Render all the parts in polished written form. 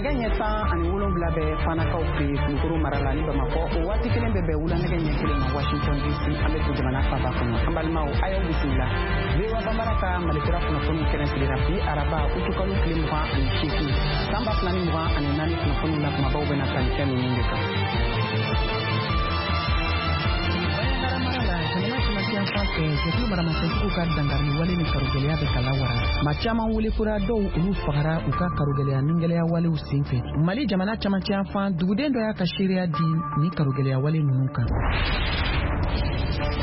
Nɛgɛ ɲɛ 17 bɛ Fanakaw fɛ yen, Kulukoro mara la ni Bamakɔ. O waati kelen bɛ bɛn wula nɛgɛ ɲɛ 1 ma Washington DC, an bɛ to jamana faaba kɔnɔ. An balimaw, a y'aw bisimila. VOA Bambara ka Malikura kunnafoniw kɛnɛ sigira bi araba, utukalo tile 28, san 2024. Kunnafoniw na, kumabaw bɛna tali kɛ ninnu de kan. Jamana cɛmancɛ yanfan fɛ, jɛkulu maramafɛntigiw ka dankarili wale ni karogɛlɛya bɛ ka lawara. Maa caman welekura, dɔw olu fagara u ka karogɛlɛya ningɛlɛya walew sen fɛ. Mali jamana cɛmancɛ yanfan duguden dɔ y'a ka seereya di ni karogɛlɛya wale ninnu kan.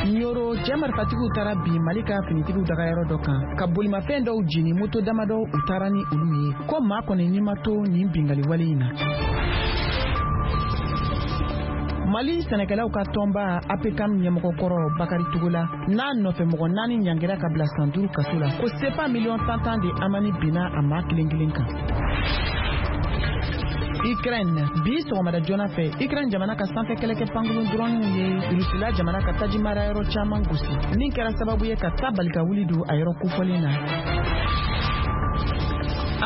Ɲoro, cɛ marifatigiw taara bin Mali ka finitigiw dagayɔrɔ dɔ kan, ka bolimafɛn dɔw jeni, moto damadɔ u taara ni olu ye. Ko maa kɔni ni ma to nin bingali wale in na. Mali sɛnɛkɛlaw ka tɔnba APCAM ɲɛmɔgɔkɔrɔ Bakari Togola n'a nɔfɛ mɔgɔ naani ɲangira ka bila san 5 kaso la, ko sefa miliyɔn tan tan de amani binna a maa kelen kelen kan. Ukraine, bi sɔgɔmada joona fɛ, Ukraine jamana ka sanfɛ kɛlɛkɛ pankurun drɔniw ye Rusila jamana ka taji marayɔrɔ caman gosi, min kɛra sababu ye ka ta bali ka wuli don a yɔrɔ kofɔlen na.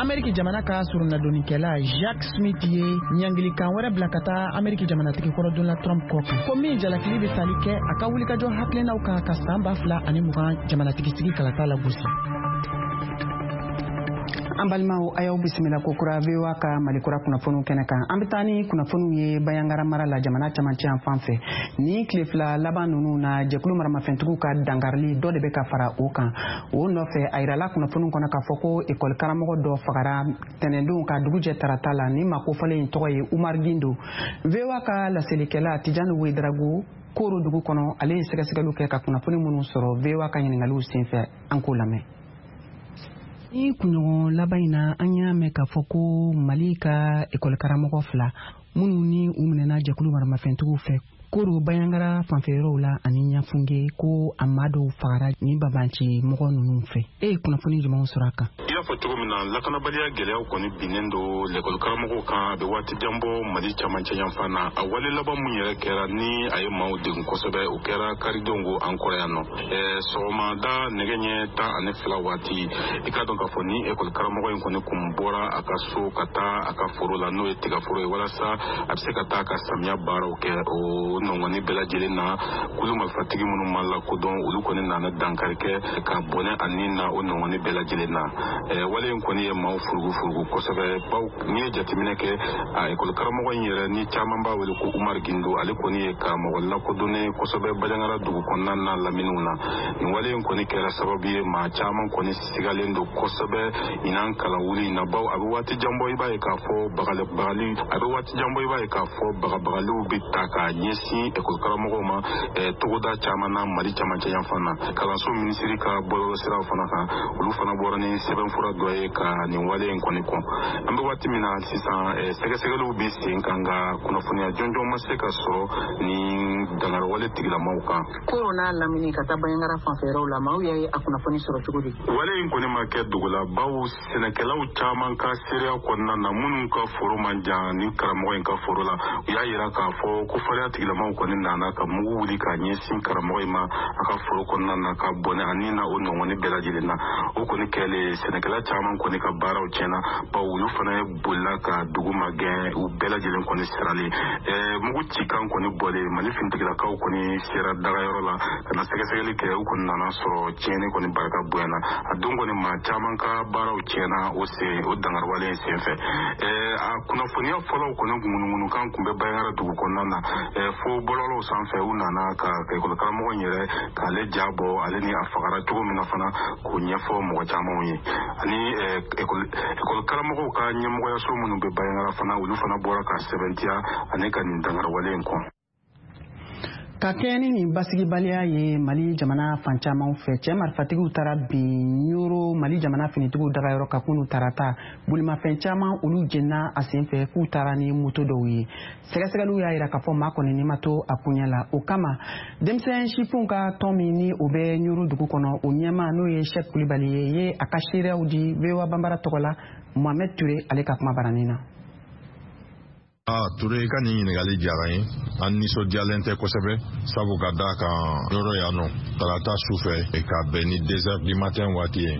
Ameriki jamana ka soronadonnikɛla Jack Smith ye ɲangilikan wɛrɛ bila ka taa Ameriki jamanatigi kɔrɔ Donald Trump kɔ kan, ko min jalakili bɛ tali kɛ a ka wulikajɔ hakilinaw kan ka san 2020 jamanatigi sigi kalata lagosi. An balimaw, a y'aw bisimila kokura VOA ka Malikura kunnafoniw kɛnɛ kan. An bɛ taa ni kunnafoniw ye Bayangara mara la, jamana camancɛ yan fan fɛ. Ni tile 2 laban ninnu na, jɛkulu maramafɛntigiw ka dankarili dɔ de bɛ ka fara o kan. O nɔfɛ, a yirala kunnafoniw kɔnɔ k'a fɔ ko ekɔli karamɔgɔ dɔ fagara tɛnɛndon ka dugu jɛ tarata la. Ni maa kofɔlen in tɔgɔ ye Umar Gindo. VOA ka laselikɛla Tijani Wedarago Koro dugu kɔnɔ, ale ye sɛgɛsɛgɛliw kɛ ka kunnafoni minnu sɔrɔ VOA ka ɲiningaliw senfɛ, an k'o lamɛn. Ni kunɲɔgɔn laban in na, an y'a mɛn k'a fɔ ko Mali ka ekɔli karamɔgɔ fila minnu ni u minɛna jɛkulu maramafɛntigiw fɛ Koro Bayangara fanfɛ yɔrɔw la ani Ɲafunge, ko a maa dɔw fagara ni babanci mɔgɔ ninnu fɛ. E ye kunnafoni jumɛnw sɔrɔ a kan? I y'a fɔ cogo min na, lakanabaliya gɛlɛyaw kɔni binnen don lɛkɔli karamɔgɔw kan a bɛ waati jan bɔ Mali camancɛ yanfan na. A wale laban mun yɛrɛ kɛra ni a ye maaw degun kosɛbɛ, o kɛra karidon ko an kɔrɔ yan nɔ, sɔgɔmada nɛgɛ ɲɛ 12 waati. I k'a dɔn k'a fɔ ni ekɔli karamɔgɔ in kɔni kun bɔra a ka so ka taa a ka foro la, n'o ye tigaforo ye, walasa a bɛ se ka taa ka samiya baaraw kɛ. O nɔngɔni bɛɛ lajɛlen na, kulu marifatigi minnu ma lakodɔn, olu kɔni nana dankari kɛ ka bɔnɛ a ni na o nɔngɔni bɛɛ lajɛlen na. Wale in kɔni ye maaw furugu furugu kosɛbɛ, baw n'i ye jateminɛ kɛ, a ekɔli karamɔgɔ in yɛrɛ ni caman b'a wele ko Umar Gindo, ale kɔni ye karamɔgɔ lakodɔnnen kosɛbɛ Bajangara dugu kɔnɔna na laminiw na. Nin wale in kɔni kɛra sababu ye, maa caman kɔni sigalen don kosɛbɛ ɲinan kalan wuli in na, baw a bɛ waati jan bɔ, i b'a ye k'a fɔ bagabagali a bɛ waati jan bɔ, i b'a ye k'a fɔ bagabagaliw bɛ ta k'a ɲɛsin ekɔli karamɔgɔw ma togoda caman na Mali camancɛ yanfan na. Kalanso minisiri ka bɔlɔlɔsiraw fana kan, olu fana bɔra ni sɛbɛnfura dɔ ye ka nin wale in kɔni kɔn. An bɛ waati min na sisan, sɛgɛsɛgɛliw bɛ sen kan, nka kunnafoniya jɔnjɔn ma se ka sɔrɔ nin dankariwale tigilamaw kan. Koro n'a lamini ka taa Bayangara fanfɛyɔrɔw la, maaw y'a ye a kunnafoni sɔrɔ cogo di? Wale in kɔni ma kɛ dogo la, baw sɛnɛkɛlaw caman ka seereya kɔnɔna na, minnu ka foro man jan ni karamɔgɔ in ka foro la, u y'a yira k'a fɔ ko fariya tigilamaw kɔni nana ka mugu wuli k'a ɲɛsin karamɔgɔ in ma a ka foro kɔnɔna na, ka bɔnɛ a ni na o nɔngɔni bɛɛ lajɛlen na. O kɔni kɛlen, sɛnɛkɛla caman kɔni ka baaraw tiɲɛna, bawo olu fana ye bolila ka dugu magɛn, u bɛɛ lajɛlen kɔni siralen. Mugu cikan kɔni bɔlen, Mali finitigilakaw kɔni sera dagayɔrɔ la ka na sɛgɛsɛgɛli kɛ. U kɔni nana sɔrɔ tiɲɛni kɔni barika bonyana. A don kɔni, maa caman ka baaraw tiɲɛna o sen o dankariwale in senfɛ. A kunnafoniya fɔlɔw kɔni ŋunuŋunukan kun bɛ Bayangara dugu kɔnɔna na, fo bɔlɔlɔw sanfɛ. U nana ka ekɔli karamɔgɔ in yɛrɛ k'ale ja bɔ, ale ni a fagara cogo min na fana, k'o ɲɛfɔ mɔgɔ camanw ye. Ani ekɔli karamɔgɔw ka ɲɛmɔgɔyaso minnu bɛ Bayangara fana, olu fana bɔra ka sɛbɛntiya ani ka nin dankariwale in kɔn. Ka kɛɲɛ ni nin basigibaliya ye Mali jamana fan caman fɛ, cɛ marifatigiw taara bin Ɲoro, Mali jamana finitigiw dagayɔrɔ ka kunu tarata. Bolimafɛn caman olu jenina a sen fɛ, k'u taara ni moto dɔw ye. Sɛgɛsɛgɛliw y'a yira k'a fɔ maa kɔni ni ma to a koɲɛ la. O kama, denmisɛn sifinw ka tɔn min ni o bɛ Ɲoro dugu kɔnɔ, o ɲɛmaa n'o ye Sɛk Kulibali ye, ye a ka seereyaw di VOA Banbara tɔgɔ la Mohamed Ture ale ka kuma baranin na. Ah, Ture, i ka nin ɲininkali diyara n ye. An nisɔndiyalen tɛ kosɛbɛ, sabu ka da kan yɔrɔ yan nɔ, tarata su fɛ ka bɛn ni 2 heures du matin waati ye,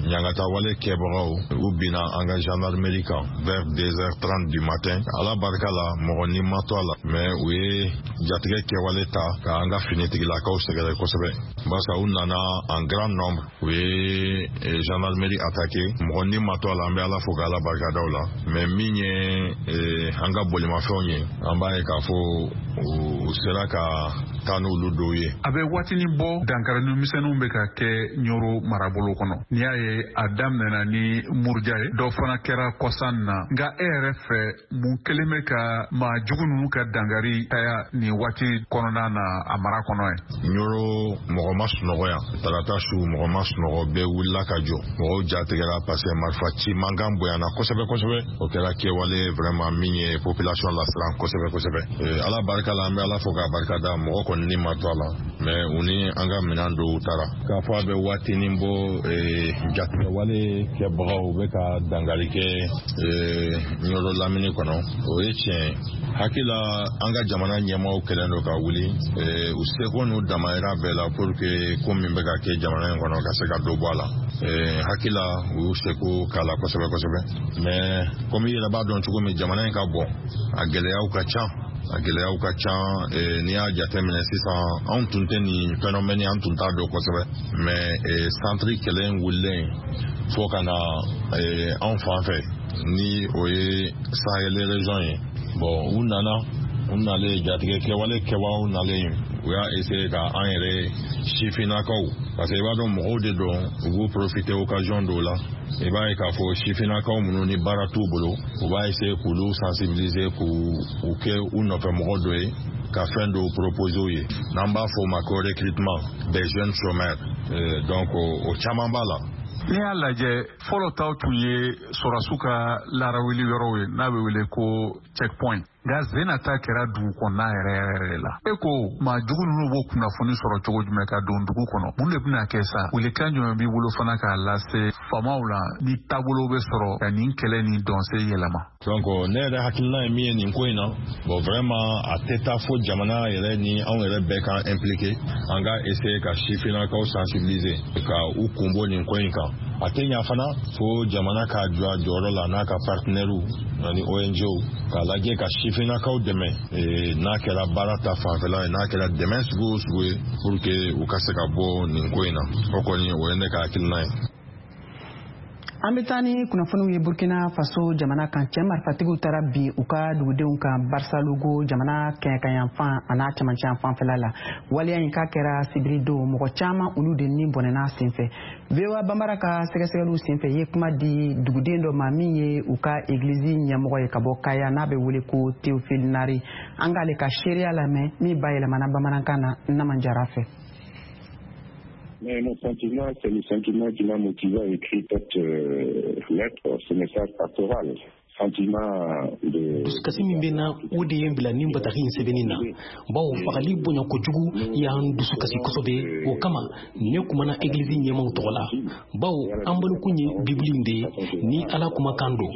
ɲangata wale kɛbagaw, u binna an ka gendarmerie kan vers 2h30 du matin. Ala barika la, mɔgɔ ni ma to a la, mais u ye jatigɛ kɛwale ta ka an ka finitigilakaw sɛgɛrɛ kosɛbɛ, barisa u nana en grand nombre, u ye gendarmerie attaqué. Mɔgɔ ni ma to a la, an bɛ Ala fo ka Ala barika da o la. Mais min ye an ka bolimafɛnw ye, an b'a ye k'a fɔ u sera ka taa n'olu dɔw ye. A bɛ waatinin bɔ, dankarili misɛnninw bɛ ka kɛ Ɲoro marabolo kɔnɔ. N'i y'a ye, a daminɛna ni muruja ye, dɔ fana kɛra kɔsan na. Nka e yɛrɛ fɛ, mun kelen bɛ ka maa jugu ninnu ka dankari caya nin waati kɔnɔna na a mara kɔnɔ ye? Ɲoro, mɔgɔ ma sunɔgɔ yan tarata su, mɔgɔ ma sunɔgɔ, bɛɛ wulila ka jɔ, mɔgɔw jatigɛra, parce que marifa ci mankan bonyana kosɛbɛ kosɛbɛ. O kɛra kɛwale vraiment min ye population lasiran kosɛbɛ kosɛbɛ. Ala barika la, an bɛ Ala fo k'a barika da, mɔgɔ kɔni ni ma to a la, mais u ni an ka minɛn dɔw taara. K'a fɔ a bɛ waatinin bɔ, jatigɛwale kɛbagaw bɛ ka dankari kɛ Ɲɔrɔ lamini kɔnɔ, o ye tiɲɛ ye. Hakili la, an ka jamana ɲɛmaaw kɛlen don ka wuli u seko n'u damayira bɛɛ la pour que ko min bɛ ka kɛ jamana in kɔnɔ ka se ka dɔ bɔ a la. Hakili la, u y'u seko k'a la kosɛbɛ kosɛbɛ, mais komi i yɛrɛ b'a dɔn cogo min, jamana in ka bon, a gɛlɛyaw ka ca, a gɛlɛyaw ka ca. N'i y'a jateminɛ sisan, anw tun tɛ nin phénomène, an tun t'a dɔn kosɛbɛ, mais centre kɛlɛ in wulilen fo ka na anw fan fɛ, ni o ye Sahel région ye, bon, u nana, u nalen, jatigɛ kɛwale kɛbagaw nalen, u y'a essayer ka an yɛrɛ sifinnakaw, parce que i b'a dɔn, mɔgɔw de don, u b'u profiter occasion dɔw la. I b'a ye k'a fɔ sifinnakaw minnu ni baara t'u bolo, u b'a essayer k'olu sensibiliser, k'u u kɛ u nɔfɛ mɔgɔ dɔ ye, ka fɛn dɔw proposer u ye, n'an b'a fɔ o ma ko recrutement des jeunes chômeurs. Donc o caman b'a la. N'i y'a lajɛ, fɔlɔ taw tun ye sɔrɔsiw ka larawuli yɔrɔw ye, n'a bɛ wele ko checkpoint. Nka zena ta kɛra dugu kɔnɔna yɛrɛ yɛrɛ de la. E ko maa jugu ninnu b'o kunnafoni sɔrɔ cogo jumɛn ka don dugu kɔnɔ? Mun de bɛna kɛ sa? Welekan jumɛn b'i bolo fana k'a lase faamaw la, ni taabolo bɛ sɔrɔ ka nin kɛlɛ ni dɔnse yɛlɛma? Donc ne yɛrɛ hakilina ye min ye nin ko in na, bon, vraiment, a tɛ taa fo jamana yɛrɛ ni anw yɛrɛ bɛɛ k'an impliqué, an ka essayer ka sifinnakaw sensibiliser ka u kun bɔ nin ko in kan. A tɛ ɲa fana fo jamana k'a jɔ a jɔyɔrɔ la n'a ka partenaires ani ONG k'a lajɛ ka sifinnakaw dɛmɛ, n'a kɛra baara ta fanfɛla ye, n'a kɛra dɛmɛ sugu o sugu ye, pour que u ka se ka bɔ nin ko in na. O kɔni, o ye ne ka hakilina ye. An bɛ taa ni kunnafoniw ye Burkina Faso jamana kan. Cɛ marifatigiw taara bi u ka dugudenw kan Barsalogho, jamana kɛɲɛkayanfan a n'a cɛmancɛ fanfɛla la. Waleya in k'a kɛra sibiri don, mɔgɔ caman olu de ni bɔnɛna senfɛ. VOA Banbara ka sɛgɛsɛgɛliw senfɛ, ye kuma di duguden dɔ ma min ye u ka egilizi ɲɛmɔgɔ ye ka bɔ Kaya, n'a bɛ wele ko Théophile Nari. An k'ale ka seereya lamɛn min bayɛlɛmana bamanankan na Naman Jara fɛ. Mais mon sentiment, c'est le sentiment qui m'a motivé à écrire cette lettre, ce message pastoral. Sentiment de Dusukasi min bɛ na, o de ye n bila nin bataki in sɛbɛnni na, bawo fagali bonya kojugu y'an dusukasi kosɛbɛ. O kama ne kumana egilizi ɲɛmaw tɔgɔ la, bawo an bolokun ye Bibili in de ye, ni Ala kumakan don.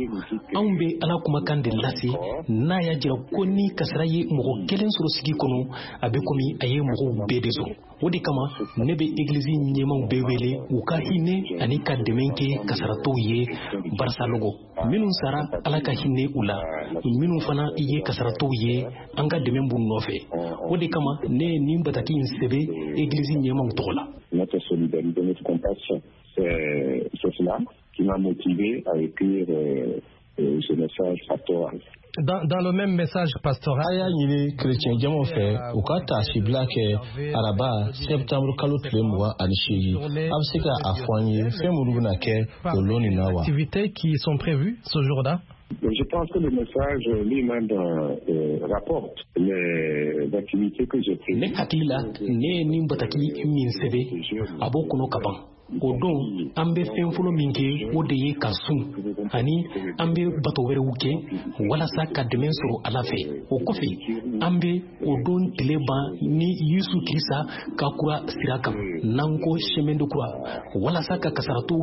Anw bɛ Ala kumakan de lase, n'a y'a jira ko ni kasara ye mɔgɔ kelen sɔrɔ sigi kɔnɔ, a bɛ komi a ye mɔgɔw bɛɛ de sɔrɔ. O de kama ne bɛ egilizi ɲɛmaw bɛɛ wele u ka hinɛ ani ka dɛmɛ kɛ kasaratɔw ye Barsalogho. Minnu sara, Ala ka hinɛ u la. Minnu fana ye kasaratɔw ye, an ka dɛmɛ b'u nɔfɛ. O de kama ne ye nin bataki in sɛbɛ egilizi ɲɛmaw tɔgɔ la. Notre solidarité, notre compassion. C'est cela qui m'a motivé à écrire ce message pastoral. Dans le même message pastoral, A y'a ɲini kerecɛn jamaw fɛ u ka taasibila kɛ araba sɛptanburu kalo tile 28. A bɛ se ka a fɔ an ye fɛn minnu bɛna kɛ o lon nin na wa? Activités qui sont prévues ce jour-là. Je pense que le message lui-même rapporte les activités que j'ai prévues. Ne hakili la, ne ye nin bataki min sɛbɛ, a b'o kɔnɔ ka ban. O don, an bɛ fɛn fɔlɔ min kɛ, o de ye ka sun, ani an bɛ bato wɛrɛw kɛ walasa ka dɛmɛ sɔrɔ Ala fɛ. O kɔfɛ, an bɛ o don tile ban ni Yesu Kirisa ka kura sira kan, n'an ko chemin de croix, walasa ka kasaratɔw